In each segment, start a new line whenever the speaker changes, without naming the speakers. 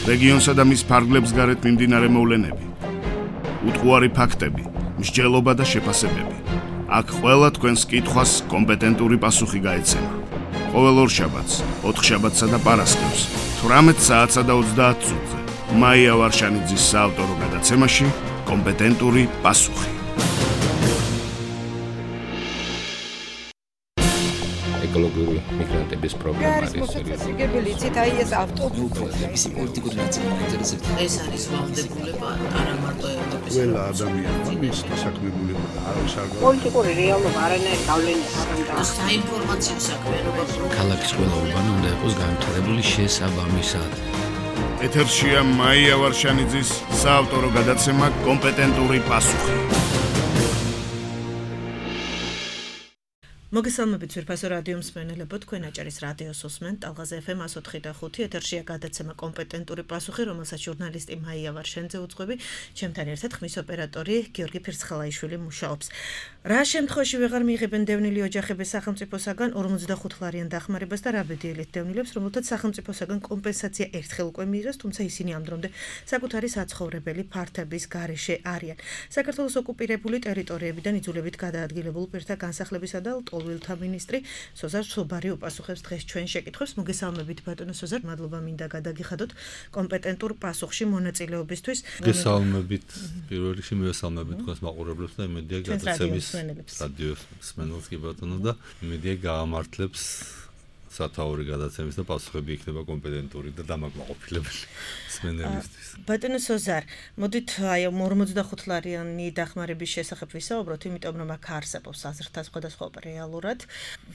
რეგიონსა და მის ფარგლებს გარეთ მიმდინარე მოვლენები, უტყუარი ფაქტები, მსჯელობა და შეფასებები. აქ ყველა თქვენს კითხვას კომპეტენტური პასუხი გაეცემა. ყოველ ორშაბათს, ოთხშაბათსა და პარასკევს, 18 საათსა და 30 წუთზე. მაია ვარშანიძის საავტორო გადაცემაში კომპეტენტური პასუხი.
ეკოლოგიური მიგრანტების პრობლემა არის
მოსაწესრიგებელი იცით აი ეს ავტობუსი
ის პოლიტიკური ნაწილი მაინტერესებს
ეს არის ვალდებულება არა მარტო ევროპის
ყველა ადამიანმა მის დასაქმებული არის არგო
პოლიტიკური რეალობა არანაირი გავლენა არ აქვს
საინფორმაციო საქმიანობა
ქალაქის ყველა ურბანი უნდა იყოს განვითარებული შესაბამისად.
ეთერშია მაია ვარშანიძის საავტორო გადაცემა კომპეტენტური პასუხი.
მოგესალმებით ძვირფასო რადიო მსმენელებო, თქვენ აჭარის რადიოს უსმენთ ტალღაზე FM 104.5 ეთერშია გადაცემა კომპეტენტური პასუხი, რომელსაც ჟურნალისტი მაია ვარშანიძე უძღვები, ჩემთან ერთად ხმის ოპერატორი გიორგი ფირცხალაიშვილი მუშაობს. რა შემთხვევაში ვეღარ მიიღებენ დევნილი ოჯახების სახელმწიფოსაგან 45 ლარიან დახმარებას და რა ბედიელით დევნილებს, რომელთაც სახელმწიფოსაგან კომპენსაცია ერთხელ უკვე მიიღეს, თუმცა ისინი ამ დრომდე საკუთარი საცხოვრებელი ფართების გარეშე არიან. საქართველოს ოკუპირებული ტერიტორიებიდან იძულებით გადაადგილებულ პირთა განსახლებისა და ვილთა მინისტრი სოზარ სობარი უპასუხებს დღეს ჩვენ შეკითხვებს. მოგესალმებით ბატონო სოზარ, მადლობა მინდა გადაგიხადოთ კომპეტენტურ პასუხში მონაწილეობისთვის.
მოგესალმებით პირველ რიგში მივესალმებით თქვენს მაყურებლებს და იმედია გადაცემის რადიო მსმენელს კი ბატონო და იმედია გაამართლებს სათაური გადაცემის და პასუხები იქნება კომპეტენტური და დამაკმაყოფილებელი მსმენელისთვის.
ბატონო სოზარ, მოდით აი 45 ლარიანი დახმარების შესახებ ვისაუბროთ, იმიტომ რომ აქ არსებობს აზრთა სხვადასხვა რეალურად,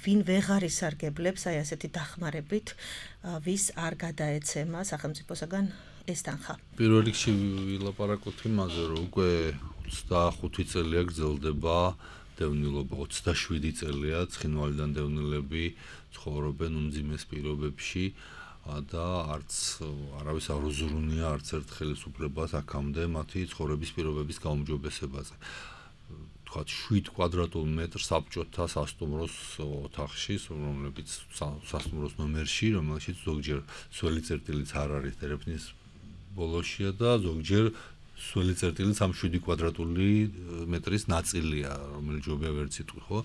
ვინ ვეღარ ისარგებლებს აი ასეთი დახმარებით, ვის არ გადაეცემა სახელმწიფოსაგან ეს თანხა.
პირველ რიგში ვილაპარაკოთ იმაზე, რომ უკვე 25 წელია გრძელდება დევნილობა, 27 წელია ცხინვალიდან დევნილები ცხოვრობენ უმძიმეს პირობებში და არც არავის არ უზრუნია არც ერთ ხელისუფლებას აქამდე მათი ცხოვრების პირობების გაუმჯობესებაზე. თქვათ 7 კვადრატულ მეტრს საბჭოთა სასტუმროს ოთახში, რომლებიც სასტუმროს ნომერში, რომელშიც ზოგჯერ სველი წერტილიც არ არის ტელეფონის ბოლოშია და ზოგჯერ სველი წერტილიც ამ 7 კვადრატული მეტრის ნაწილია, რომელიც ჯობია ვერ ციტყვი, ხო?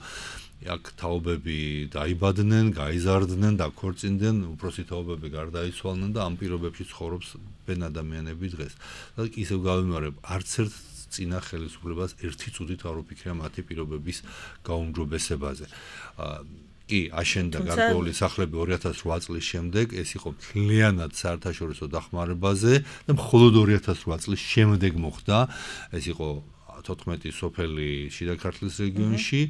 აქ თაობები დაიბადნენ, გაიზარდნენ, დაქორწინდნენ, უფროსი თაობები გარდაიცვალნენ და ამ პირობებში ცხოვრობს ბენ ადამიანები დღეს. და ისევ გავიმარებ, არც ერთ წინა ხელისუფლებას ერთი წუთით არ უფიქრია მათი პირობების გაუმჯობესებაზე. კი, აშენდა გარკვეული სახლები 2008 წლის შემდეგ, ეს იყო მთლიანად საერთაშორისო დახმარებაზე და მხოლოდ 2008 წლის შემდეგ მოხდა. ეს იყო 14 სოფელი შიდა ქართლის რეგიონში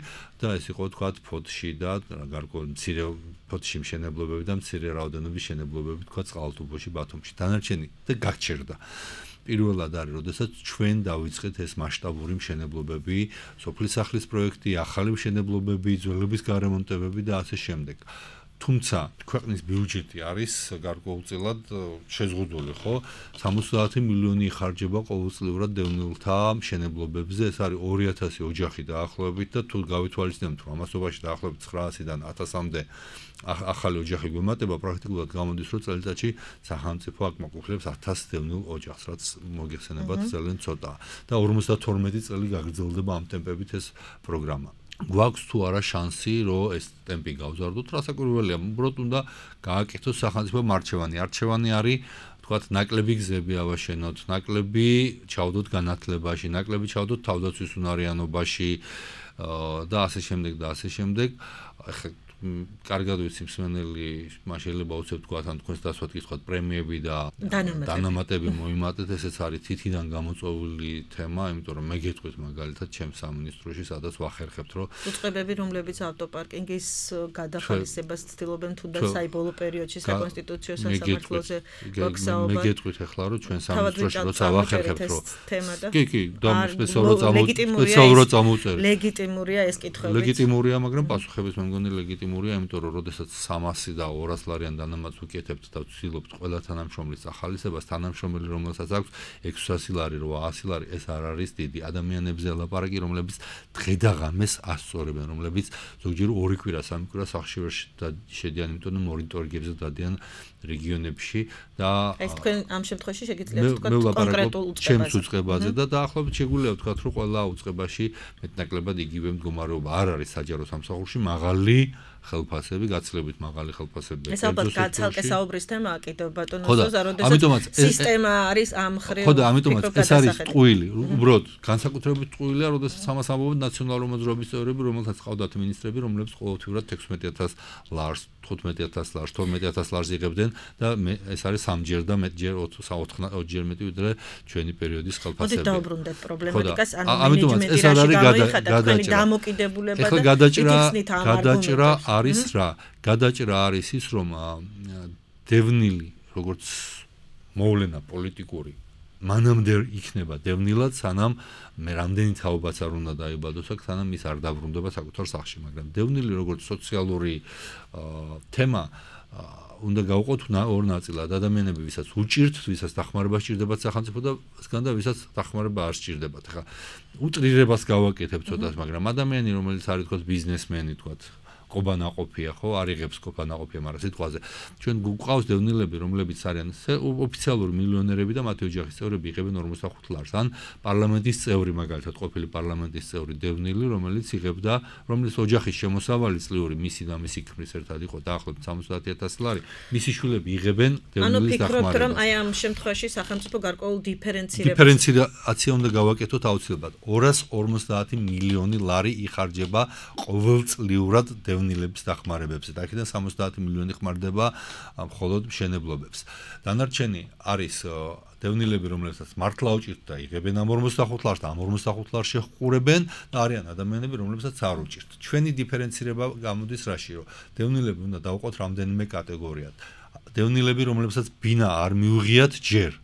და ეს იყო თქვათ ფოთში და გარკვეული მცირე ფოთში მშენებლობები და მცირე რაოდენობის მშენებლობები თქვათ წყალტუბოში, ბათუმში. დანარჩენი და გაგჩერდა. პირველად არის, როდესაც ჩვენ დავიწყეთ ეს მასშტაბური მშენებლობები, სოფლის სახლის პროექტი, ახალი მშენებლობები, ძველების გარემონტებები და ასე შემდეგ. თუმცა ქვეყნის ბიუჯეტი არის გარკვეულწილად შეზღუდული, ხო? 70 მილიონი იხარჯება ყოველწლიურად დევნილთა მშენებლობებზე, ეს არის 2000 ოჯახი დაახლოებით და თუ გავითვალისწინებთ, რომ ამასობაში დაახლოებით 900-დან 1000-მდე ახალი ოჯახი გვემატება, პრაქტიკულად გამოდის, რომ წელიწადში სახელმწიფო აკმაყოფილებს 1000 დევნილ ოჯახს, რაც მოგეხსენებათ ძალიან ცოტაა. და 52 წელი გაგრძელდება ამ ტემპებით ეს პროგრამა. გვაქვს თუ არა შანსი, რომ ეს ტემპი გავზარდოთ, რასაკვირველია, უბრალოდ უნდა გააკეთოს სახელმწიფო არჩევანი. არჩევანი არის, თქვათ, ნაკლები გზები ავაშენოთ, ნაკლები ჩავდოთ განათლებაში, ნაკლები ჩავდოთ თავდაცვის უნარიანობაში და ასე შემდეგ და ასე შემდეგ. ახლა კარგად ვიცი მსმენელი შეიძლება უცებ თქვათ ან თქვენს დასვათ კითხოთ პრემიები და დანამატები მოიმატეთ, ესეც არის თითიდან გამოწვეული თემა, იმიტომ რომ მე გეტყვით მაგალითად ჩემს სამინისტროში, სადაც ვახერხებთ, რომ
უწყებები, რომლებიც ავტოპარკინგის გადახალისებას ცდილობენ თუნდაც საიბოლო პერიოდში საკონსტიტუციო სასამართლოზე ვაქსაობენ.
მე გეტყვით ახლა რომ ჩვენ სამინისტროში როცა ვახერხებთ, რომ კი, და სპეციალურად წამოწერეთ.
ლეგიტიმურია ეს კითხვები.
ლეგიტიმურია, მაგრამ პასუხების მე მგონი ლეგიტიმური ლეგიტიმურია, იმიტომ რომ როდესაც 300 და 200 ლარიან დანამატს ვიკეთებთ და ვცდილობთ ყველა თანამშრომლის ახალისებას, თანამშრომელი რომელსაც აქვს 600 ლარი, 800 ლარი, ეს არ არის დიდი. ადამიანებზე ლაპარაკი, რომლებიც დღე და ღამეს ასწორებენ, რომლებიც ზოგჯერ 2 კვირა, 3 კვირა სახლში ვერ შედიან, იმიტომ რომ მონიტორინგებზე დადიან რეგიონებში და
ეს თქვენ ამ შემთხვევაში შეგიძლიათ თქვა კონკრეტულ
ჩემს უწყებაზე და დაახლოებით შეგვიძლია ვთქვა, რომ ყველა უწყებაში მეტნაკლებად იგივე მდგომარეობა არ არის საჯარო სამსახურში, მაღალი ხელფასები, გაცილებით მაღალი ხელფასები.
ეს ალბათ ცალკე საუბრის თემაა კიდევ ბატონო ზოზა, როდესაც სისტემა არის ამ ხრივ.
ხო და ამიტომაც ეს არის ტყუილი, უბრალოდ განსაკუთრებით ტყუილია, როდესაც ამას ამბობენ ნაციონალური მოძრაობის წევრები, რომელთაც ყავდათ ministrები, რომლებიც ყოველთვიურად 16000 ლარს, 15000 ლარს, 12000 ლარს იღებდნენ და ეს არის 3ჯერ და მეტჯერ 4-ჯერ მეტი ვიდრე ჩვენი პერიოდის ხელფასები.
მოდით დავბრუნდეთ პრობლემატიკას, ანუ
ამიტომაც ეს არ არის
დამოკიდებულება
და გადაჭრა არის რა? გადაჭრა არის ის, რომ დევნილი, როგორც მოვლენა პოლიტიკური, მანამდე იქნება დევნილად, სანამ მე რამდენი თაობაც არ უნდა დაიბადოს აქ, სანამ ის არ დაბრუნდება საკუთარ სახლში, მაგრამ დევნილი როგორც სოციალური თემა უნდა გავყოთ ორ ნაწილად. ადამიანები, ვისაც უჭირთ, ვისაც დახმარება სჭირდებათ სახელმწიფო და სგან და ვისაც დახმარება არ სჭირდებათ. ახლა უტრირებას გავაკეთებ ცოტას, მაგრამ ადამიანი, რომელიც არის თქო ბიზნესმენი, თქო ყობანაყოფია, ხო, არ იღებს ყობანაყოფია, მაგრამ სიტყვაზე ჩვენ გვყავს დევნილები, რომლებიც არიან ოფიციალური მილიონერები და მათი ოჯახის წევრები იღებენ 45 ლარს, ან პარლამენტის წევრი, მაგალითად, ყოფილი პარლამენტის წევრი დევნილი, რომელიც იღებდა, რომლის ოჯახის შემოსავალი წლიური მისი და მისი ქმრის ერთად იყო დაახლოებით 70000 ლარი, მისი შვილები იღებენ დევნილის დახმარებას.
ანუ ფიქრობთ, რომ აი ამ შემთხვევაში სახელმწიფო გარკვეულ
დიფერენციაცია უნდა გავაკეთოთ აუცილებლად. 250 მილიონი ლარი იხარჯება ყოველწლიურად დევნილების დახმარებებზე და აქედან 70 მილიონი ხმარდება მხოლოდ მშენებლობებს. დანარჩენი არის დევნილები, რომლებსაც მართლა უჭირთ და იღებენ ამ 45 ლარს და ამ 45 ლარს შეჰყურებენ და არიან ადამიანები, რომლებსაც არ უჭირთ. ჩვენი დიფერენცირება გამოდის რაში, რომ დევნილები უნდა დავყოთ რამდენიმე კატეგორიად. დევნილები, რომლებსაც ბინა არ მიუღიათ ჯერ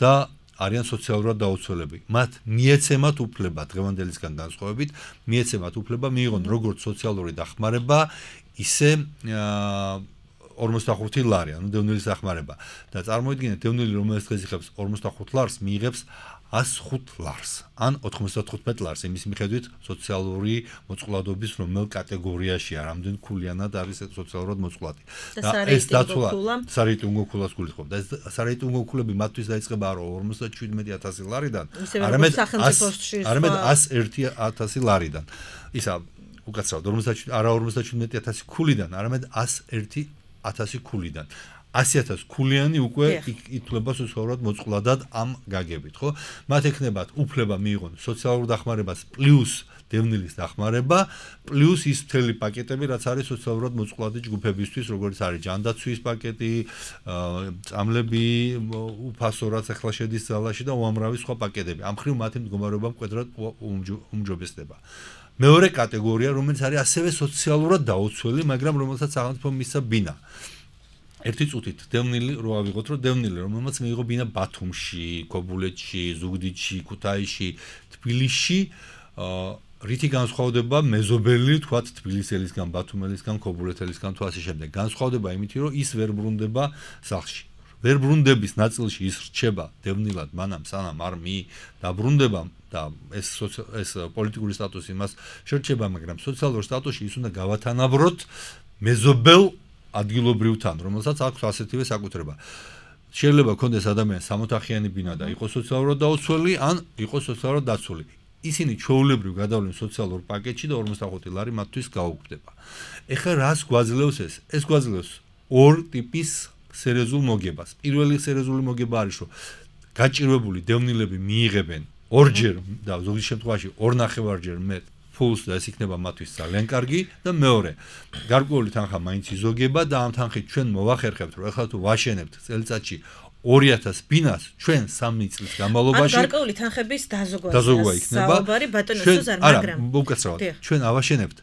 და არიან სოციალურად დაუცველები. მათ მიეცემათ უფლება დღევანდელისგან განსხვავებით, მიეცემათ უფლება მიიღონ როგორც სოციალური დახმარება, ისე 45 ლარი, ანუ დევნილის დახმარება. და წარმოიდგინეთ, დევნილი, რომელიც დღეს იღებს 45 ლარს, მიიღებს 105 ლარს, ან 95 ლარს, იმის მიხედვით სოციალური მოწყვლადობის რომელ კატეგორიაშია, რამდენ ქულიანად არის სოციალურად მოწყვლადი.
და ეს დაცვა
სარეიტინგო ქულას გულისხმობ. და ეს სარეიტინგო ქულები მათთვის დაიწყება არა 57000 ლარიდან,
არამედ
101000 ლარიდან. ისა უკაცრავად 57000 ქულიდან, არამედ 101000 ქულიდან. 100,000 ქულიანი უკვე ითვლება სოციალურად მოწყვლადად ამ გაგებით, ხო? მათ ექნებათ უფლება მიიღონ სოციალურ დახმარებას პლუს დევნილის დახმარება, პლუს ის მთელი პაკეტები, რაც არის სოციალურად მოწყვლადი ჯგუფებისთვის, როგორც არის ჯანდაცვის პაკეტი, წამლები, უფასო, რაც ახლა შედის ძალაში და უამრავი სხვა პაკეტები. ამ ხრივ მათი მდგომარეობა მკვეთრად უმჯობესდება. მეორე კატეგორია, რომელიც არის ასევე სოციალურად დაუცველი, მაგრამ რომელსაც სახელმწიფო მისცა ბინა. ერთი წუთით დევნილი რო ავიღოთ, რომ დევნილი, რომელმაც მიიღო ბინა ბათუმში, ქობულეთში, ზუგდიდში, ქუთაისში, თბილისში, რითი განსხვავდება მეზობელი, თქვათ, თბილისელისგან, ბათუმელისგან, ქობულეთელისგან თუ ასე შემდეგ. განსხვავდება იმით, რომ ის ვერ ბრუნდება სახლში. ვერ ბრუნდების ნაწილში ის რჩება დევნილად, მანამ სანამ არ დაბრუნდება და ეს პოლიტიკური სტატუსი მას შერჩება, მაგრამ სოციალურ სტატუსში ის უნდა გავათანაბროთ მეზობელ ადგილობრივთან, რომელსაც აქვს ასეთივე საკუთრება. შეიძლება ქონდეს ადამიანს 60-ახიანი ბინა და იყოს სოციალურად დაუცველი, ან იყოს სოციალურად დაცული. ისინი ჩვეულებრივ გადავლენ სოციალურ პაკეტში და 45 ლარი მათთვის გაუქმდება. ეხლა რას გვაძლევს ეს? ეს გვაძლევს ორ ტიპის სერიოზულ მოგებას. პირველი სერიოზული მოგება არის, რომ გაჭირვებული დევნილები მიიღებენ ორჯერ და ზოგიერთ შემთხვევაში 2.5-ჯერ მეტ ფულს და ეს იქნება მათთვის ძალიან კარგი და მეორე გარკვეული თანხა მაინც იზოგება და ამ თანხით ჩვენ მოვახერხებთ, რომ ეხლა თუ ვაშენებთ წელიწადში 2000 ბინას, ჩვენ 3 წლის განმავლობაში
ან გარკვეული თანხების დაზოგვა იქნება.
საუბარი
ბატონო სუზარ, მაგრამ
უკაცრავად ჩვენ ავაშენებთ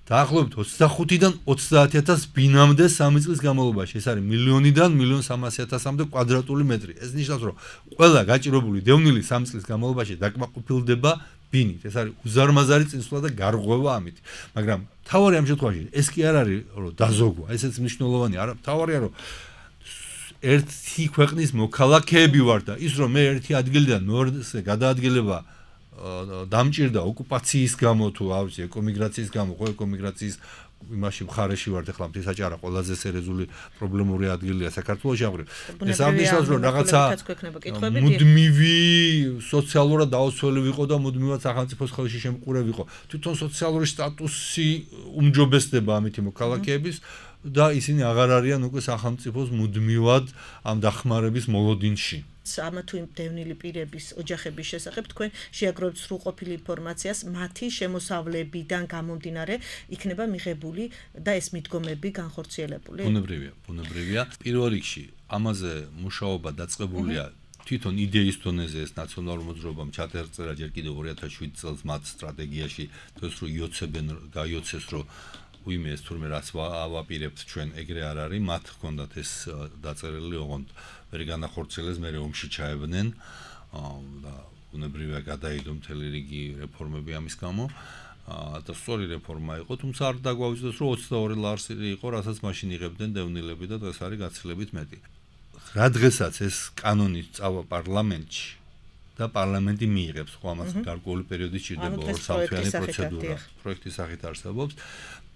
დაახლოებით 25-დან 30,000 ბინამდე 3 წლის განმავლობაში. ეს არის 1,000,000-დან 1,300,000-მდე კვადრატული მეტრი. ეს ნიშნავს, რომ ყველა გაჭირებული დევნილი 3 წლის განმავლობაში დაკმაყოფილდება ბინით. ეს არის უზარმაზარი წინსვლა და გარღვევა ამით. მაგრამ თავარი ამ შემთხვევაში ეს კი არ არის, რომ დაზოგვა, ესეც მნიშვნელოვანია. არა, თავარია, რომ ერთი ქვეყნის მოქალაქეები ვარ და ის რომ მე ერთი ადგილიდან მეორეზე გადაადგილება დამჭირდა ოკუპაციის გამო თუ ავიცი ეკომიგრაციის გამო, ხო ეკომიგრაციის იმაში მხარეში ვარ ახლა მთისაჭარა ყველაზე სერიოზული პრობლემური ადგილია საქართველოში აღრევ. ეს ამისავს რომ რაღაცა მუდმივი სოციალურად დაუცველი ვიყო და მუდმივად სახელმწიფოს ხელში შემყურე ვიყო. თვითონ სოციალური სტატუსი უმჯობესდება ამითი მოქალაქეების და ისინი აღარ არიან უკვე სახელმწიფოს მუდმივად ამ დახმარების მოლოდინში.
ამა თუ იმ დევნილი პირების ოჯახების შესახებ თქვენ შეაგროვებთ სრულყოფილი ინფორმაციას მათი შემოსავლებიდან გამომდინარე იქნება მიღებული და ეს მიდგომები განხორციელებული.
ბუნებრივია. პირველ რიგში ამაზე მუშაობა დაწყებულია თვითონ იდეის დონეზე ეს ნაციონალურ მოძრაობამ ჩაწერა ჯერ კიდევ 2007 წელს მათ სტრატეგიაში თორს რომ იოცებენ გაიოცეს რომ უიმე ეს თურმე რაც ავაპირებთ ჩვენ ეგრე არ არის მათ ჰქონდათ ეს დაწერილი ოღონდ ვერ განახორციელეს მე ომში ჩაებნენ და ბუნებრივია გადაიდო მთელი რიგი რეფორმები ამის გამო და სწორი რეფორმა იყო თუმცა არ დაგვაუწევს რომ 22 ლარსი იყო რასაც მაშინ იღებდნენ დევნილები და დღეს არის გაცილებით მეტი რა დღესაც ეს კანონი წავა პარლამენტში და პარლამენტი მიიღებს ხო ამას გარკვეული პერიოდი სჭირდება ორსავთვიანი პროცედურა პროექტის სახით არსებობს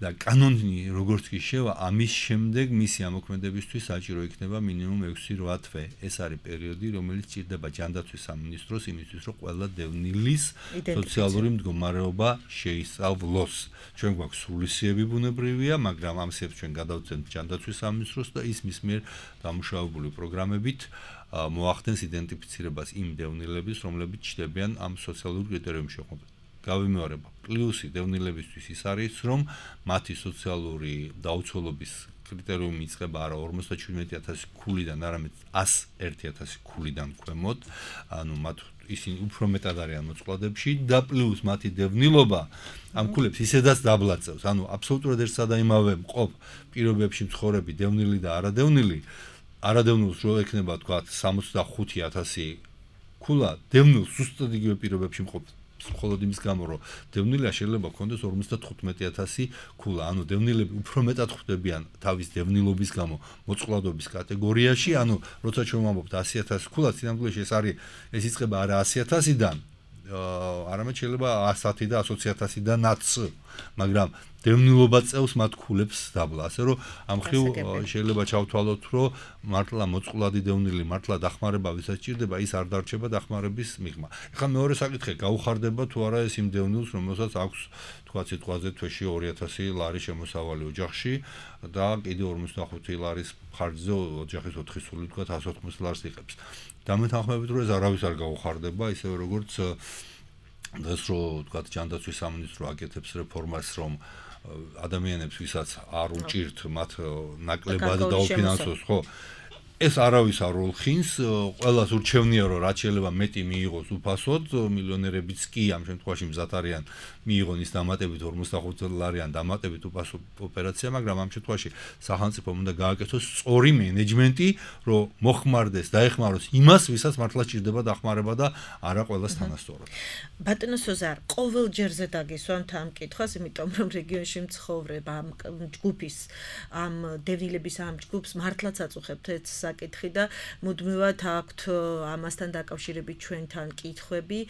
და კანონი როგორც კი შევა ამის შემდეგ მისი ამოქმედებისთვის საჭირო იქნება მინიმუმ 6-8 თვე ეს არის პერიოდი რომელიც სჭირდება ჯანდაცვის სამინისტროს იმისთვის რომ ყველა დევნილის სოციალური მდგომარეობა შეისწავლოს ჩვენ გვაქვს სრულისიები ბუნებრივია მაგრამ ამ სებს ჩვენ გადავწევთ ჯანდაცვის სამინისტროს და ის მის მიერ დამუშავებული პროგრამებით მოახდენს იდენტიფიცირებას იმ დევნილების რომლებიც ჩნდებიან ამ სოციალურ კრიტერიუმში გავიმეორებ პლუსი დევნილებისთვის ის არის რომ მათი სოციალური დაუცველობის კრიტერიუმი იწყება არა 57,000 ქულიდან არამედ 101,000 ქულიდან ქვემოთ ანუ მათ ისინი უფრო მეტად არიან მოწყვლადებში და პლუს მათი დევნილობა ამ ქულებს ისედაც დაბლაწევს ანუ აბსოლუტურად ერთ სადაიმავე მყოფ პირობებში მცხოვრები დევნილი და არადევნილს რო ექნება თქვა 65,000 ქულა დევნილს ზუსტად იგივე პირობებში მყოფ მხოლოდ იმის გამო რომ დევნილია შეიძლება ქონდეს 55,000 ქულა ანუ დევნილები უფრო მეტად ხვდებიან თავის დევნილობის გამო მოწყვლადობის კატეგორიაში ანუ როცა ჩვენ ვამბობთ 100,000 ქულა სინამდვილეში ეს იწყება არა 100,000-დან არამედ შეიძლება 110 და 120,000-დანაც მაგრამ დევნილობა წევს მათ ქულებს დაბლა ასე რომ ამ ხრივ შეიძლება ჩავთვალოთ რომ მართლა მოწყვლადი დევნილი მართლა დახმარება ვისაც ჭირდება ის არ დარჩება დახმარების მიღმა ეხლა მეორე საკითხი გაუხარდება თუ არა ეს იმ დევნილს რომელსაც აქვს თქვა სიტყვაზე თვეში 2,000 ლარი შემოსავალი ოჯახში და კიდე 45 ლარის ხარჯზე ოჯახის 4 სული თქვა 180 ლარს იღებს დამეთანხმებით რომ ეს არავის არ გაუხარდება ისევე როგორც დღეს რო თქვა ჯანდაცვის სამინისტრო აკეთებს რეფორმას რომ ადამიანებს ვისაც არ უჭირთ მათ ნაკლებად დაუფინანსოს ხო ეს არავის არ ოლხინს ყველას ურჩევნია რომ რაც შეიძლება მეტი მიიღოს უფასოდ მილიონერებიც კი ამ შემთხვევაში მზად არიან მიიღონ ის დამატებით 45 ლარიან დამატებით უფასო ოპერაცია მაგრამ ამ შემთხვევაში სახელმწიფომ უნდა გააკეთოს სწორი მენეჯმენტი რომ მოხმარდეს დაეხმაროს იმას ვისაც მართლა ჭირდება დახმარება და არა ყველას თანასწორად
ბატონო სოზარ ყოველ ჯერზე დაგისვამთ ამ კითხვას იმიტომ რომ რეგიონში მცხოვრებ ამ ჯგუფის ამ დევნილების ამ ჯგუფს მართლაც აწუხებთ ეს საკითხი და მუდმივად აქვთ ამასთან დაკავშირებით ჩვენთან კითხვები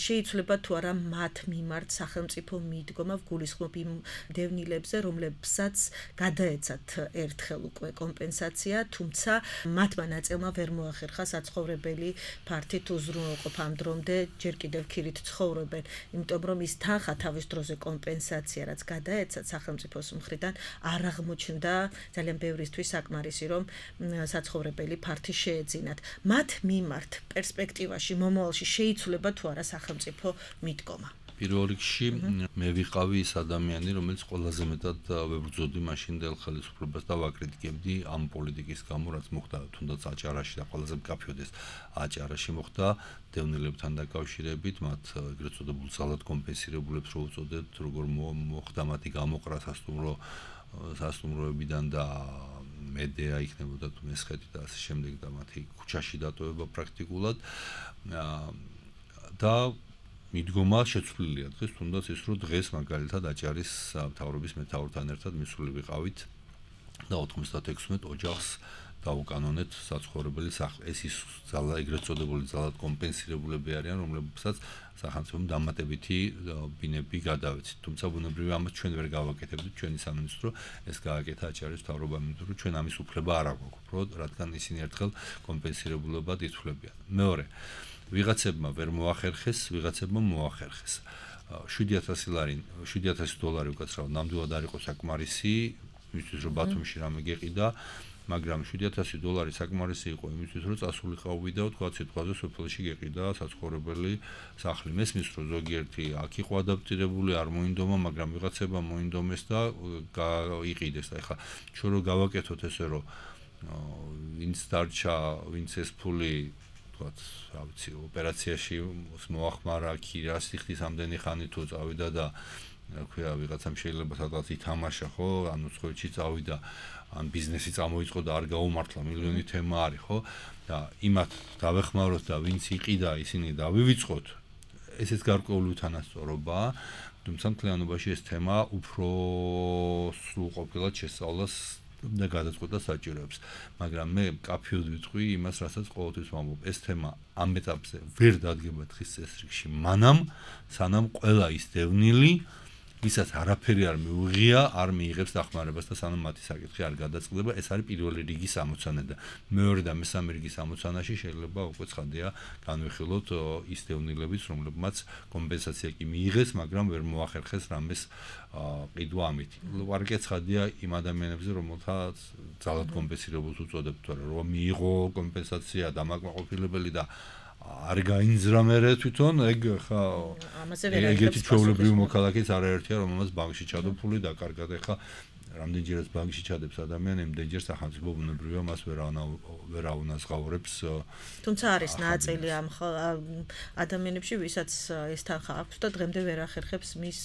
შეიცვლება თუ არა მათ მიმართ სახელმწიფო მიდგომა გულისხმობ იმ დევნილებზე რომლებსაც გადაეცათ ერთხელ უკვე კომპენსაცია თუმცა მათმა ნაწილმა ვერ მოახერხა საცხოვრებელი ფართით უზრუნველყოფა ამ დრომდე ჯერ კიდევ ქირით ცხოვრობენ იმიტომ რომ ის თანხა თავის დროზე კომპენსაცია რაც გადაეცათ სახელმწიფოს მხრიდან არ აღმოჩნდა ძალიან ბევრისთვის საკმარისი რომ საცხოვრებელი ფართი შეეძინათ მათ მიმართ პერსპექტივაში მომავალში შეიცვლება თუ არა სახელმწიფო მიდგომა
პირველ რიგში მე ვიყავი ის ადამიანი, რომელიც ყველაზე მეტად ვებრძოდი მაშინდელ ხელისუფლებას და ვაკრიტიკებდი ამ პოლიტიკის გამო, რაც მოხდა თუნდაც აჭარაში და ყველაზე მკაფიოდეს აჭარაში მოხდა დევნილებთან დაკავშირებით, მათ ეგრეთ წოდებულ ძალად კომპენსირებულებს რო უწოდებთ, როგორ მოხდა მათი გამოყრა სასტუმროებიდან და მედეა იქნებოდა თუ მესხეთი და ასე შემდეგ და მათი ქუჩაში დატოვება პრაქტიკულად და მიდგომა შეცვლილია დღეს თუნდაც ის რომ დღეს მაგალითად აჭარის მთავრობის მეთაურთან ერთად მისული ვიყავით და 96 ოჯახს დაუკანონეთ საცხოვრებელი სახლი. ეს ის ძალა ეგრეთ წოდებული ძალად კომპენსირებულები არიან, რომლებსაც სახელმწიფომ დამატებითი ბინები გადავეცით. თუმცა ბუნებრივია ამას ჩვენ ვერ გავაკეთებდით ჩვენი სამინისტრო, ეს გააკეთა აჭარის მთავრობამ, იმიტომ რომ ჩვენ ამის უფლება არ აქვს, უფრო რადგან ისინი ერთხელ კომპენსირებულებად ითვლებიან. მეორე, ვიღაცებმა ვერ მოახერხეს, ვიღაცებმა მოახერხეს. 7,000 დოლარი უკაცრავად ნამდვილად არ იყო საკმარისი, იმისთვის რომ ბათუმში რამე გეყიდა, მაგრამ 7,000 დოლარი საკმარისი იყო იმისთვის, რომ წასულიყავი და თქვა სიტყვაზე სოფელში გეყიდა საცხოვრებელი სახლი. მესმის რომ ზოგიერთი აქ იყო ადაპტირებული, არ მოინდომა, მაგრამ ვიღაცება მოინდომეს და იყიდეს. და ეხლა ჩვენ რო გავაკეთოთ ესე რომ ვინც დარჩა, ვინც ეს ფული თქვათ, რა ვიცი, ოპერაციაში მოახმარა, ქირა სიხდის ამდენი ხანი თუ წავიდა და რა ქვია, ვიღაცამ შეიძლება სადღაც ითამაშა, ხო? ანუ სხვეთში წავიდა, ან ბიზნესი წამოიწყო და არ გაუმართლა, მილიონი თემა არის, ხო? და იმათ დავეხმაროთ და ვინც იყიდა, ისინი დავივიწყოთ. ესეც გარკვეული უთანასწორობაა, თუმცა მთლიანობაში ეს თემა უფრო სრულყოფილად შესწავლას და გადაწყვეტა საჭიროებს. მაგრამ მე მკაფიოდ ვიტყვი იმას, რასაც ყოველთვის ვამბობ, ეს თემა ამ ეტაპზე ვერ დადგება დღის წესრიგში, მანამ სანამ ყველა ის დევნილი ვისაც არაფერი არ მიუღია, არ მიიღებს დახმარებას და სანამ მათი საკითხი არ გადაწყდება, ეს არის პირველი რიგის ამოცანა და მეორე და მესამე რიგის ამოცანაში შეიძლება უკვე ცხადია განვიხილოთ ის დევნილებიც, რომლებმაც კომპენსაცია კი მიიღეს, მაგრამ ვერ მოახერხეს რამეს ყიდვა ამით. ვარგე ცხადია იმ ადამიანებზე, რომელთაც ძალად კომპენსირებულს უწოდებთ, რომ მიიღო კომპენსაცია დამაკმაყოფილებელი და არ გაინძრა მერე თვითონ ეგ ხა ეგეთი ჩვეულებრივი მოქალაქეც არაერთია რომელმაც ბანკში ჩადო ფული და კარგად ეხა რამდენჯერაც ბანკში ჩადებს ადამიანი იმდენჯერ სახელმწიფო ბუნებრივია მას ვერ აუნაზღაურებს
თუმცა არის ნაწილი ამ ადამიანებში ვისაც ეს თანხა აქვს და დღემდე ვერ ახერხებს მის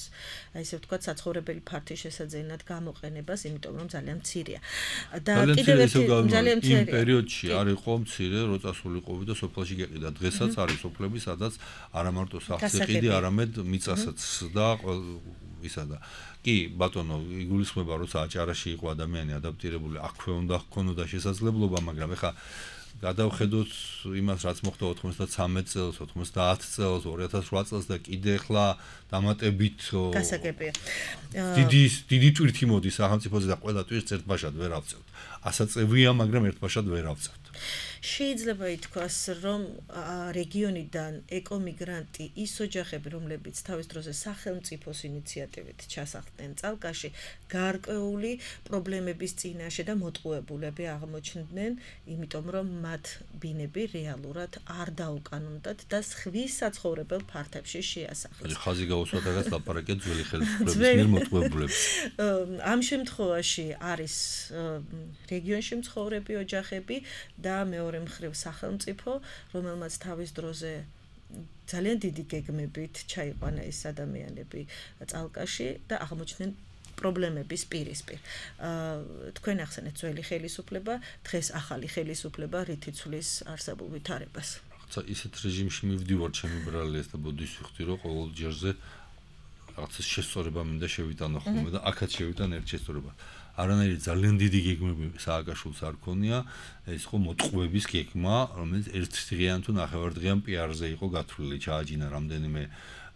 ესე ვთქვათ საცხოვრებელი ფართის შესაძენად გამოყენებას იმიტომ რომ ძალიან მცირეა და კიდევ ერთი ძალიან მცირე
იმ პერიოდში არ იყო მცირე რო წასულიყავი და სოფელში გეყიდა დღესაც არის სოფლები სადაც არა მარტო სახლს ეყიდი არამედ მიწასაც და ისა და კი ბატონო იგულისხმება როცა აჭარაში იყო ადამიანი ადაპტირებული აქვე უნდა ჰქონოდა შესაძლებლობა მაგრამ ეხა გადავხედოთ იმას რაც მოხდა 93 წელს 90 წელს 2008 წელს და კიდე ეხლა დამატებით
გასაგებია
დიდი ტვირთი მოდის სახელმწიფოზე და ყველა ტვირთს ერთბაშად ვერ ავწევთ ასაწევია მაგრამ ერთბაშად ვერ ავწევთ
შეიძლება ითქვას, რომ რეგიონიდან ეკომიგრანტი ის ოჯახები, რომლებიც თავის დროზე სახელმწიფოს ინიციატივით ჩასახლდნენ წალკაში, გარკვეული პრობლემების წინაშე და მოტყუებულები აღმოჩნდნენ, იმიტომ რომ მათ ბინები რეალურად არ დაუკანონდათ და სხვის საცხოვრებელ ფართებში შეასახლეს.
ხაზი გაუსვა რაღაც ლაპარაკია ძველი ხელისუფლების მიერ მოტყუებულებს.
ამ შემთხვევაში არის რეგიონში მცხოვრები ოჯახები და მეორე მხრივ სახელმწიფო, რომელმაც თავის დროზე ძალიან დიდი გეგმებით ჩაიყვანა ეს ადამიანები წალკაში და აღმოჩნდნენ პრობლემების პირისპირ. თქვენ ახსენეთ ძველი ხელისუფლება, დღეს ახალი ხელისუფლება რითი ცვლის არსებულ ვითარებას.
რაღაცა ისეთ რეჟიმში მივდივარ ჩემი ბრალეს და ბოდიშ ვიხდი რომ ყოველ ჯერზე რაღაცა შესწორება მინდა შევიტანო ხოლმე და აქაც შევიტან ერთ შესწორება. არანაირი ძალიან დიდი გეგმები სააკაშვილს არ ქონია, ეს იყო მოტყუების გეგმა, რომელიც ერთ დღიან თუ ნახევარდღიან პიარზე იყო გათვლილი, ჩააჯინა რამდენიმე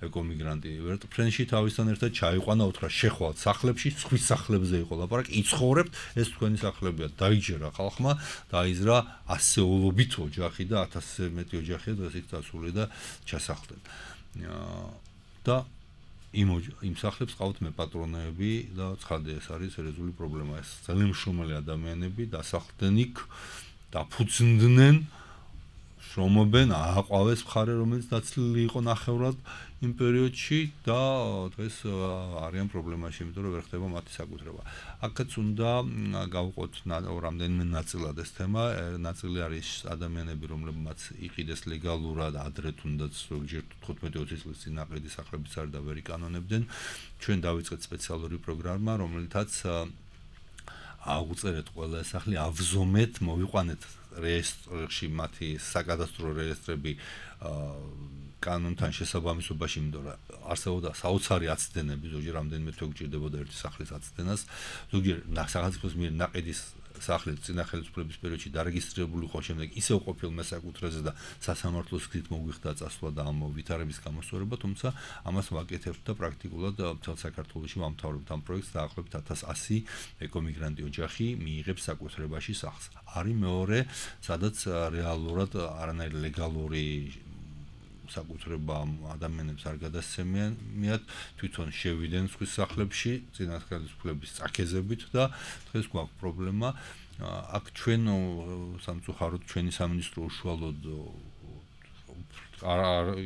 ეკომიგრანტი. ვერტფრენში თავისთან ერთად ჩაიყვანა უთხრა შეხვალთ სახლებში, სხვის სახლებზე იყო ლაპარაკი, იცხოვრებთ, ეს თქვენი სახლებია. დაიჯერა ხალხმა, დაიზრა ასეულობით ოჯახი და 1000-ზე მეტი ოჯახია დღეს იქ დასული და ჩასახლდნენ. და იმ სახლებს ყავთ მეპატრონეები და ცხადია ეს არის სერიოზული პრობლემა. ეს ძალიან მშრომელი ადამიანები დასახლდნენ იქ, დაფუძნდნენ შრომობენ, ააყვავეს მხარე, რომელიც დაცლილი იყო ნახევრად იმ პერიოდში და დღეს არიან პრობლემაში, იმიტომ რომ ვერ ხდება მათი საკუთრება. აქაც უნდა გავუყოთ რამდენიმე ნაწილად ეს თემა. ნაწილი არის ადამიანები, რომლებმაც იყიდეს ლეგალურად, ადრე თუნდაც ზოგჯერ 15-20 წლის წინ აყიდი სახლების არ და ვერ იკანონებდნენ. ჩვენ დავიწყეთ სპეციალური პროგრამა, რომელთაც აუწერეთ ყველა ეს სახლი, ავზომეთ, მოვიყვანეთ რეესტრში მათი საკადასტრო რეესტრები კანონთან შესაბამისობაში, იმიტომ რომ არსებობდა საოცარი აცდენები, ზოგჯერ რამდენიმე თვე გჭირდებოდა ერთი სახლის აცდენას, ზოგჯერ სახელმწიფოს მიერ ნაყიდის სახლი წინა ხელისუფლების პერიოდში დარეგისტრირებული იყო, შემდეგ ისევ ყოფილ მესაკუთრეზე და სასამართლოს გზით მოგვიხდა წასვლა და ამ ვითარების გამოსწორება, თუმცა ამას ვაკეთებთ და პრაქტიკულად მთელ საქართველოში ვამთავრებთ ამ პროექტს, დაახლოებით 1100 ეკომიგრანტი ოჯახი მიიღებს საკუთრებაში სახლს. არის მეორე, სადაც რეალურად არანაირი ლეგალური საკუთრება ადამიანებს არ გადასცემიათ, თვითონ შევიდნენ სხვის სახლებში, წინა ხელისუფლების წაქეზებით და დღეს გვაქვს პრობლემა. აქ ჩვენ სამწუხაროდ ჩვენი სამინისტრო უშუალოდ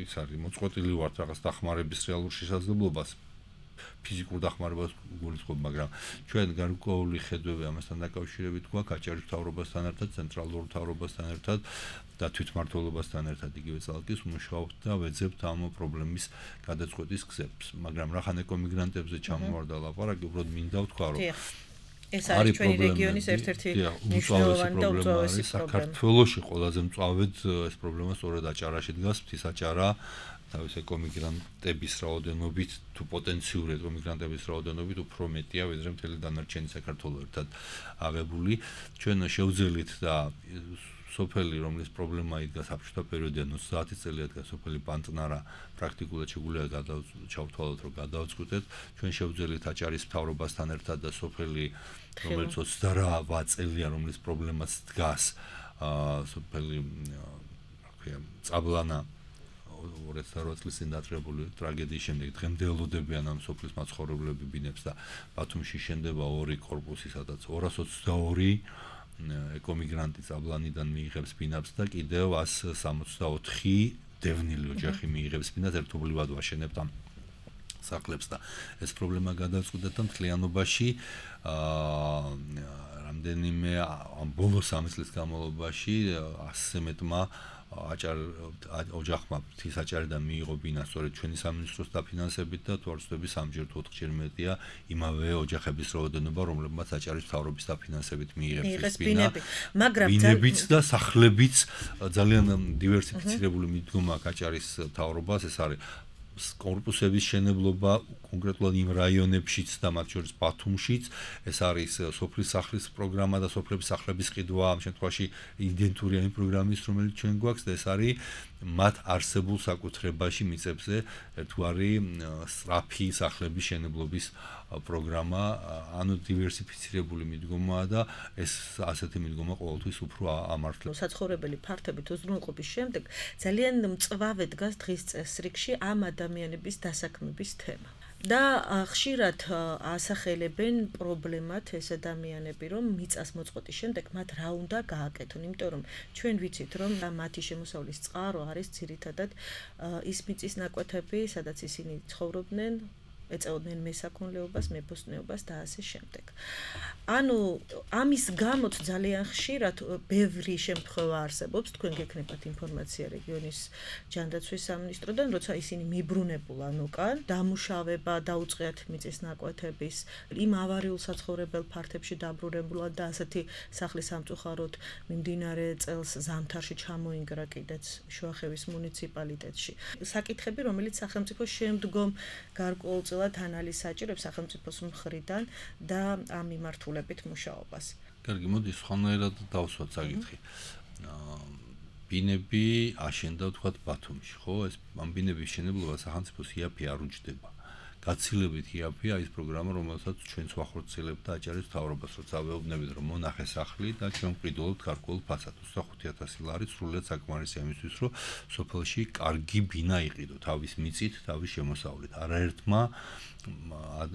ის არის მოწყვეტილი ვართ რაღაც დახმარების რეალურ შესაძლებლობას. ფიზიკურ დახმარებას გულისხმობ, მაგრამ ჩვენ გარკვეული ხედვები ამასთან დაკავშირებით გვაქვს აჭარის მთავრობასთან ერთად, ცენტრალურ მთავრობასთან ერთად და თვითმმართველობასთან ერთად იგივე წალკის მუშაობთ და ვეძებთ ამ პრობლემის გადაწყვეტის გზებს. მაგრამ რახან ეკომიგრანტებზე ჩამოვარდა ლაპარაკი, უბრალოდ მინდა ვთქვა, რომ
ეს არის ჩვენი რეგიონის ერთ-ერთი მნიშვნელოვანი და უწვავესი პრობლემა.
საქართველოში ყველაზე მწვავედ ეს პრობლემა სწორედ აჭარაში დგას, ღვთისაჭარა თავის ეკომიგრანტების რაოდენობით თუ პოტენციური ეკომიგრანტების რაოდენობით უფრო მეტია, ვიდრე მთელი დანარჩენი საქართველო ერთად აღებული. ჩვენ შევძელით და სოფელი, რომლის პრობლემა იდგა საბჭოთა პერიოდიდან 30 წელი იდგა სოფელი პანტნარა, პრაქტიკულად შეგვიძლია ჩავთვალოთ, რომ გადავწყვეტეთ. ჩვენ შევძელით აჭარის მთავრობასთან ერთად და სოფელი, რომელიც 28 წელია, რომლის პრობლემაც დგას, სოფელი, წაბლანა 2008 წლის წინ დაწყებული ტრაგედიის შემდეგ დღემდე ელოდებიან ამ სოფლის მაცხოვრებლები ბინებს და ბათუმში შენდება ორი კორპუსი, სადაც 222 ეკომიგრანტი წაბლანიდან მიიღებს ბინებს და კიდევ 164 დევნილი ოჯახი მიიღებს ბინას, ერთობლივად ვაშენებთ ამ სახლებს და ეს პრობლემა გადაწყვეტეთ და მთლიანობაში რამდენიმე ამ ბოლო 3 წლის განმავლობაში 100-ზე მეტმა ოჯახმა ღვთისაჭარიდან მიიღო ბინა სწორედ ჩვენი სამინისტროს დაფინანსებით და თუ არ ვცდები 3-ჯერ თუ 4-ჯერ მეტია იმავე ოჯახების რაოდენობა, რომლებმაც აჭარის მთავრობის დაფინანსებით მიიღებს ბინა, მაგრამ ბინებიც და სახლებიც ძალიან დივერსიფიცირებული მიდგომა აქვს აჭარის მთავრობას. ეს არის კორპუსების შენებლობა კონკრეტულად იმ რაიონებშიც და მათ შორის ბათუმშიც, ეს არის სოფლის სახლის პროგრამა და სოფლების სახლების ყიდვა, ამ შემთხვევაში იდენტურია იმ პროგრამის, რომელიც ჩვენ გვაქვს და ეს არის მათ არსებულ საკუთრებაში მიწებზე ერთგვარი სწრაფი სახლების შენებლობის პროგრამა, ანუ დივერსიფიცირებული მიდგომაა და ეს ასეთი მიდგომა ყოველთვის უფრო ამართლებს.
საცხოვრებელი ფართობით უზრუნველყოფის შემდეგ ძალიან მწვავედ დგას დღის წესრიგში ამ ადამიანების დასაქმების თემა. და ხშირად ასახელებენ პრობლემად ეს ადამიანები, რომ მიწას მოწყვეტის შემდეგ მათ რა უნდა გააკეთონ, იმიტომ რომ ჩვენ ვიცით, რომ მათი შემოსავლის წყარო არის ძირითადად ის მიწის ნაკვეთები, სადაც ისინი ცხოვრობდნენ, ეწეოდნენ მესაქონლეობას, მეფოსტნეობას და ასე შემდეგ. ანუ ამის გამო ძალიან ხშირად ბევრი შემთხვევა არსებობს, თქვენ გექნებათ ინფორმაცია რეგიონის ჯანდაცვის სამინისტროდან, როცა ისინი მიბრუნებულან უკან, დამუშავება დაუწყიათ მიწის ნაკვეთების, იმ ავარიულ საცხოვრებელ ფართებში დაბრუნებულად და ასეთი სახლის სამწუხაროდ მიმდინარე წელს ზამთარში ჩამოინგრა კიდეც შუახევის მუნიციპალიტეტში. საკითხები, რომელიც სახელმწიფო შემდგომ გარკვეულწილად ანალიზს საჭიროებს სახელმწიფოს მხრიდან და ამ მიმართულებით მუშაობას.
კარგი, მოდი სხვანაირად დავსვათ საკითხი. ბინები აშენდა თქვათ ბათუმში, ხო? ეს ამ ბინების შენებლობა სახელმწიფოს იაფი არ უჯდება. გაცილებით იაფია ის პროგრამა, რომელსაც ჩვენც ვახორციელებთ და აჭარის მთავრობას, როცა ვეუბნებით, რომ მონახე სახლი და ჩვენ ვყიდულობთ გარკვეულ ფასად 25,000 ლარი, სრულიად საკმარისია იმისთვის, რომ სოფელში კარგი ბინა იყიდო, თავის მიწით, თავის შემოსავლით. არაერთმა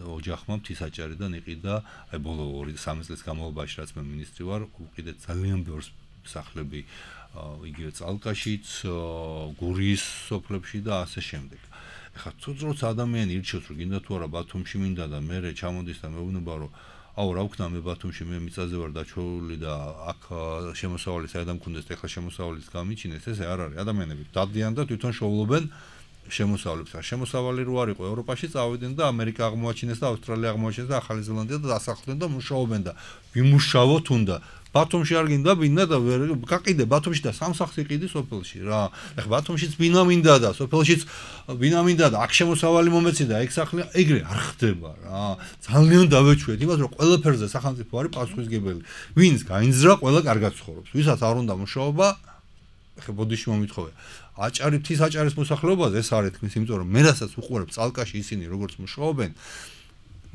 ოჯახმა ღვთისაჭარიდან იყიდა, აი ბოლო 2-3 წლის განმავლობაში, რაც მე მინისტრი ვარ, უყიდეთ ძალიან ბევრს სახლები იგივე წალკაშიც, გურიის სოფლებში და ასე შემდეგ. ეხლა როცა ადამიანი ირჩევს რომ გინდა თუ არა ბათუმში მინდა და მე ჩამოდის და მეუბნება რომ აუ რა ვქნა მე ბათუმში მე მიწაზე ვარ დაჩეული და აქ შემოსავალი საერთოდ მქონდეს ეხლა შემოსავალიც გამიჩინეს ესე არ არის ადამიანები დადიან და თვითონ შოულობენ შემოსავლებს შემოსავალი რო არ იყო ევროპაში წავიდნენ და ამერიკა აღმოაჩინეს და ავსტრალია აღმოაჩინეს და ახალი ზელანდია და დასახლდნენ და მუშაობენ და ვიმუშაოთ უნდა ბათუმში არ გინდა ბინა და გაყიდე ბათუმში და სამსახს იყიდი სოფელში რა ეხლა ბათუმშიც ბინა მინდა და სოფელშიც ბინა მინდა და აქ შემოსავალი მომეცი და ეგ სახლი ეგრე არ ხდება რა ძალიან დავეჩვეთ იმას რომ ყველაფერზე სახელმწიფო არის პასუხისგებელი ვინც გაინძრა ყველა კარგად ცხოვრობს ვისაც არ უნდა მუშაობა ეხლა ბოდიში მომითხოვე აჭარი თის აჭარის მოსახლეობაზე ეს არის თქმის იმიტომ რომ მე რასაც უყურებ წალკაში ისინი როგორც მუშაობენ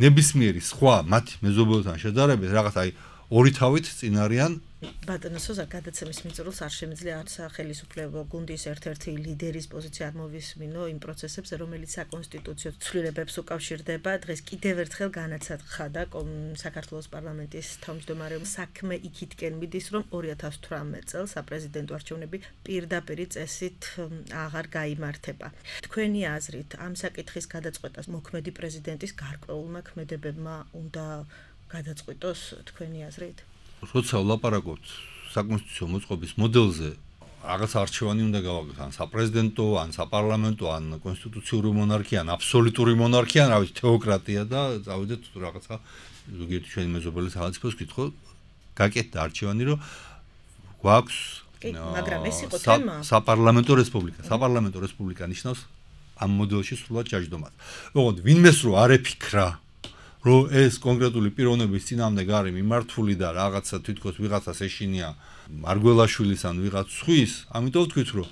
ნებისმიერი სხვა მათი მეზობელთან შედარებით რაღაც აი ორი თავით წინ არიან
ბატონო სოზარ გადაცემის მიწურულს არ შემიძლია არც ხელისუფლებო გუნდის ერთ-ერთი ლიდერის პოზიცია არ მოვისმინო იმ პროცესებზე რომელიც საკონსტიტუციო ცვლილებებს უკავშირდება დღეს კიდევ ერთხელ განაცხადა და საქართველოს პარლამენტის თავმჯდომარემ საქმე იქითკენ მიდის რომ 2018 წელს საპრეზიდენტო არჩევნები პირდაპირი წესით აღარ გაიმართება თქვენი აზრით ამ საკითხის გადაწყვეტას მოქმედი პრეზიდენტის გარკვეულმა ქმედებებმა უნდა გადაწყვიტოს თქვენი აზრით?
როცა ვლაპარაკობთ საკონსტიტუციო მოწყობის მოდელზე, რაღაც არჩევანი უნდა გავაკეთოთ, ან საპრეზიდენტო, ან საპარლამენტო, ან კონსტიტუციური მონარქია, ან აბსოლუტური მონარქია, ან რა ვიცი, თეოკრატია და წავიდეთ რაღაცა ზოგიერთი ჩვენი მეზობელი სახელმწიფოს კითხო, გაკეთდა არჩევანი, რომ გვაქვს
მაგრამ ეს იყო თემა.
საპარლამენტო რესპუბლიკა. საპარლამენტო რესპუბლიკა ნიშნავს ამ მოდელში სრულად ჯაჯდომას. ოღონდ ვინმეს რო არ ეფიქრა რომ ეს კონკრეტული პიროვნების წინამდე გარი მიმართული და რაღაცა თვითონ ვიღაცას ეშინია მარგველაშვილის ან ვიღაც სხვის, ამიტომ ვთქვით რომ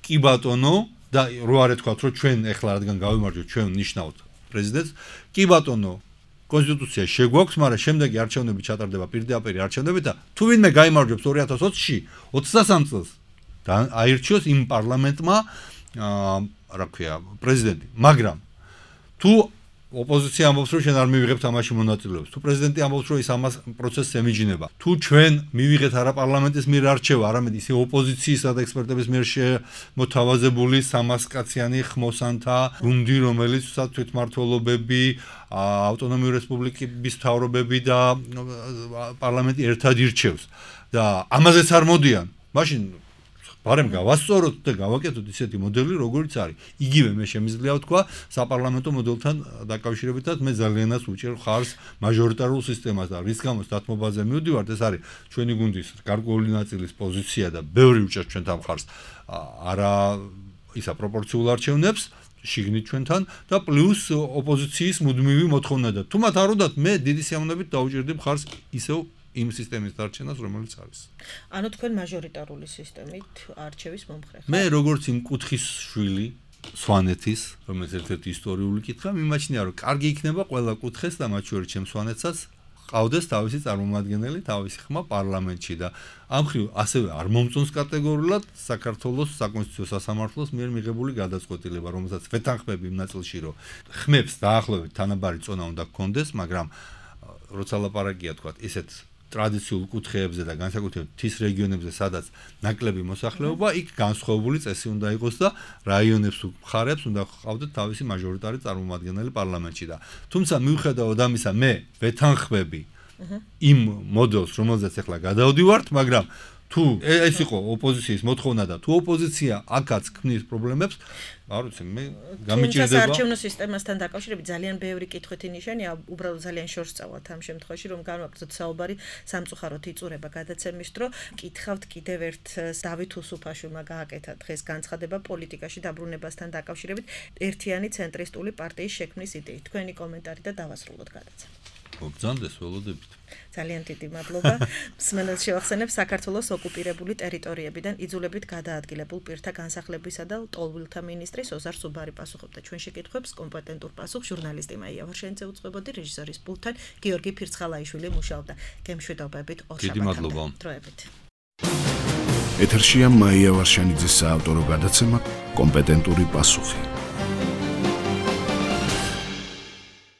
კი ბატონო და რო არ ეთქვათ რომ ჩვენ ეხლა რადგან გავიმარჯვეთ ჩვენ ნიშნავთ პრეზიდენტს, კი ბატონო კონსტიტუცია შეგვაქვს, მაგრამ შემდეგი არჩევნები ჩატარდება პირდაპირ არჩევნებით და თუ ვინმე გაიმარჯვებს 2020-ში 23 წელს და აირჩიოს იმ პარლამენტმა რა ქვია პრეზიდენტი, მაგრამ თუ ოპოზიცია ამბობს რომ ჩვენ არ მივიღებთ ამაში მონაწილეობას. თუ პრეზიდენტი ამბობს რომ ის ამას პროცესს ემიჯნება. თუ ჩვენ მივიღეთ არა პარლამენტის მიერ არჩევა, არამედ ისე ოპოზიციისა და ექსპერტების მიერ მოთავაზებული 300 კაციანი ხმოსანთა გუნდი, რომელიც თვითმმართველობები, ავტონომიური რესპუბლიკების მთავრობები და პარლამენტი ერთად ირჩევს. და ამაზეც არ მოდიან. მაშინ ბარემ გავასწოროთ და გავაკეთოთ ისეთი მოდელი, როგორიც არის. იგივე მე შემიძლია ვთქვა საპარლამენტო მოდელთან დაკავშირებითაც მე ძალიანაც უჭერ ხარს მაჟორიტარულ სისტემას და რის გამოც დათმობაზე მივდივართ, ეს არის ჩვენი გუნდის გარკვეული ნაწილის პოზიცია და ბევრი უჭერს ჩვენთან ხარს არა ისა პროპორციულ არჩევნებს შიგნით ჩვენთან და პლუს ოპოზიციის მუდმივი მოთხოვნა და თუ მათ არ უნდათ მე დიდი სიამოვნებით დაუჭერდი ხარს ისევ იმ სისტემის დარჩენას, რომელიც არის.
ანუ თქვენ მაჟორიტარული სისტემით არჩევის მომხრე ხართ?
მე როგორც იმ კუთხის შვილი სვანეთის, რომელიც ერთ-ერთი ისტორიული კითხვა, მიმაჩნია რომ კარგი იქნება ყველა კუთხეს და მათ შორის ჩემ სვანეთსაც ყავდეს თავისი წარმომადგენელი, თავისი ხმა პარლამენტში და ამ ხრივ ასევე არ მომწონს კატეგორიულად საქართველოს საკონსტიტუციო სასამართლოს მიერ მიღებული გადაწყვეტილება, რომელსაც ვეთანხმები იმ ნაწილში, რომ ხმებს დაახლოებით თანაბარი წონა უნდა გქონდეს, მაგრამ როცა ლაპარაკია თქვა ისეთ ტრადიციულ კუთხეებზე და განსაკუთრებით თის რეგიონებზე, სადაც ნაკლები მოსახლეობა, იქ განსხვავებული წესი უნდა იყოს და რაიონებს მხარებს უნდა ყავდეთ თავისი მაჟორიტარი წარმომადგენელი პარლამენტში და თუმცა მიუხედავად ამისა მე ვეთანხმები იმ მოდელს, რომელზეც ახლა გადავდივართ, მაგრამ თუ ეს იყო ოპოზიციის მოთხოვნა და თუ ოპოზიცია აქაც ქმნის პრობლემებს, არ ვიცი, მე გამიჭირდება.
არჩევნო სისტემასთან დაკავშირებით ძალიან ბევრი კითხვითი ნიშანია, უბრალოდ ძალიან შორს წავალთ ამ შემთხვევაში, რომ განვაგრძოთ საუბარი სამწუხაროდ იწურება გადაცემის დრო. კითხავთ კიდევ ერთ დავით უსუფაშვილმა გააკეთა დღეს განცხადება პოლიტიკაში დაბრუნებასთან დაკავშირებით ერთიანი ცენტრისტული პარტიის შექმნის იდეით. თქვენი კომენტარი და დავასრულოთ გადაცემა.
მოგძანდეს ველოდებით.
ძალიან დიდი მადლობა. მსმენელს შევახსენებ საქართველოს ოკუპირებული ტერიტორიებიდან იძულებით გადაადგილებულ პირთა განსახლებისა და ტოლვილთა მინისტრი სოზარ სუბარი პასუხობდა ჩვენ შეკითხვებს, კომპეტენტურ პასუხს ჟურნალისტი მაია ვარშენიძე უწყებოდი, რეჟისორის პულტთან გიორგი ფირცხალაიშვილი მუშაობდა. გემშვიდობებით,
დიდი მადლობა.
დროებით.
ეთერშია მაია ვარშენიძის საავტორო გადაცემა კომპეტენტური პასუხი.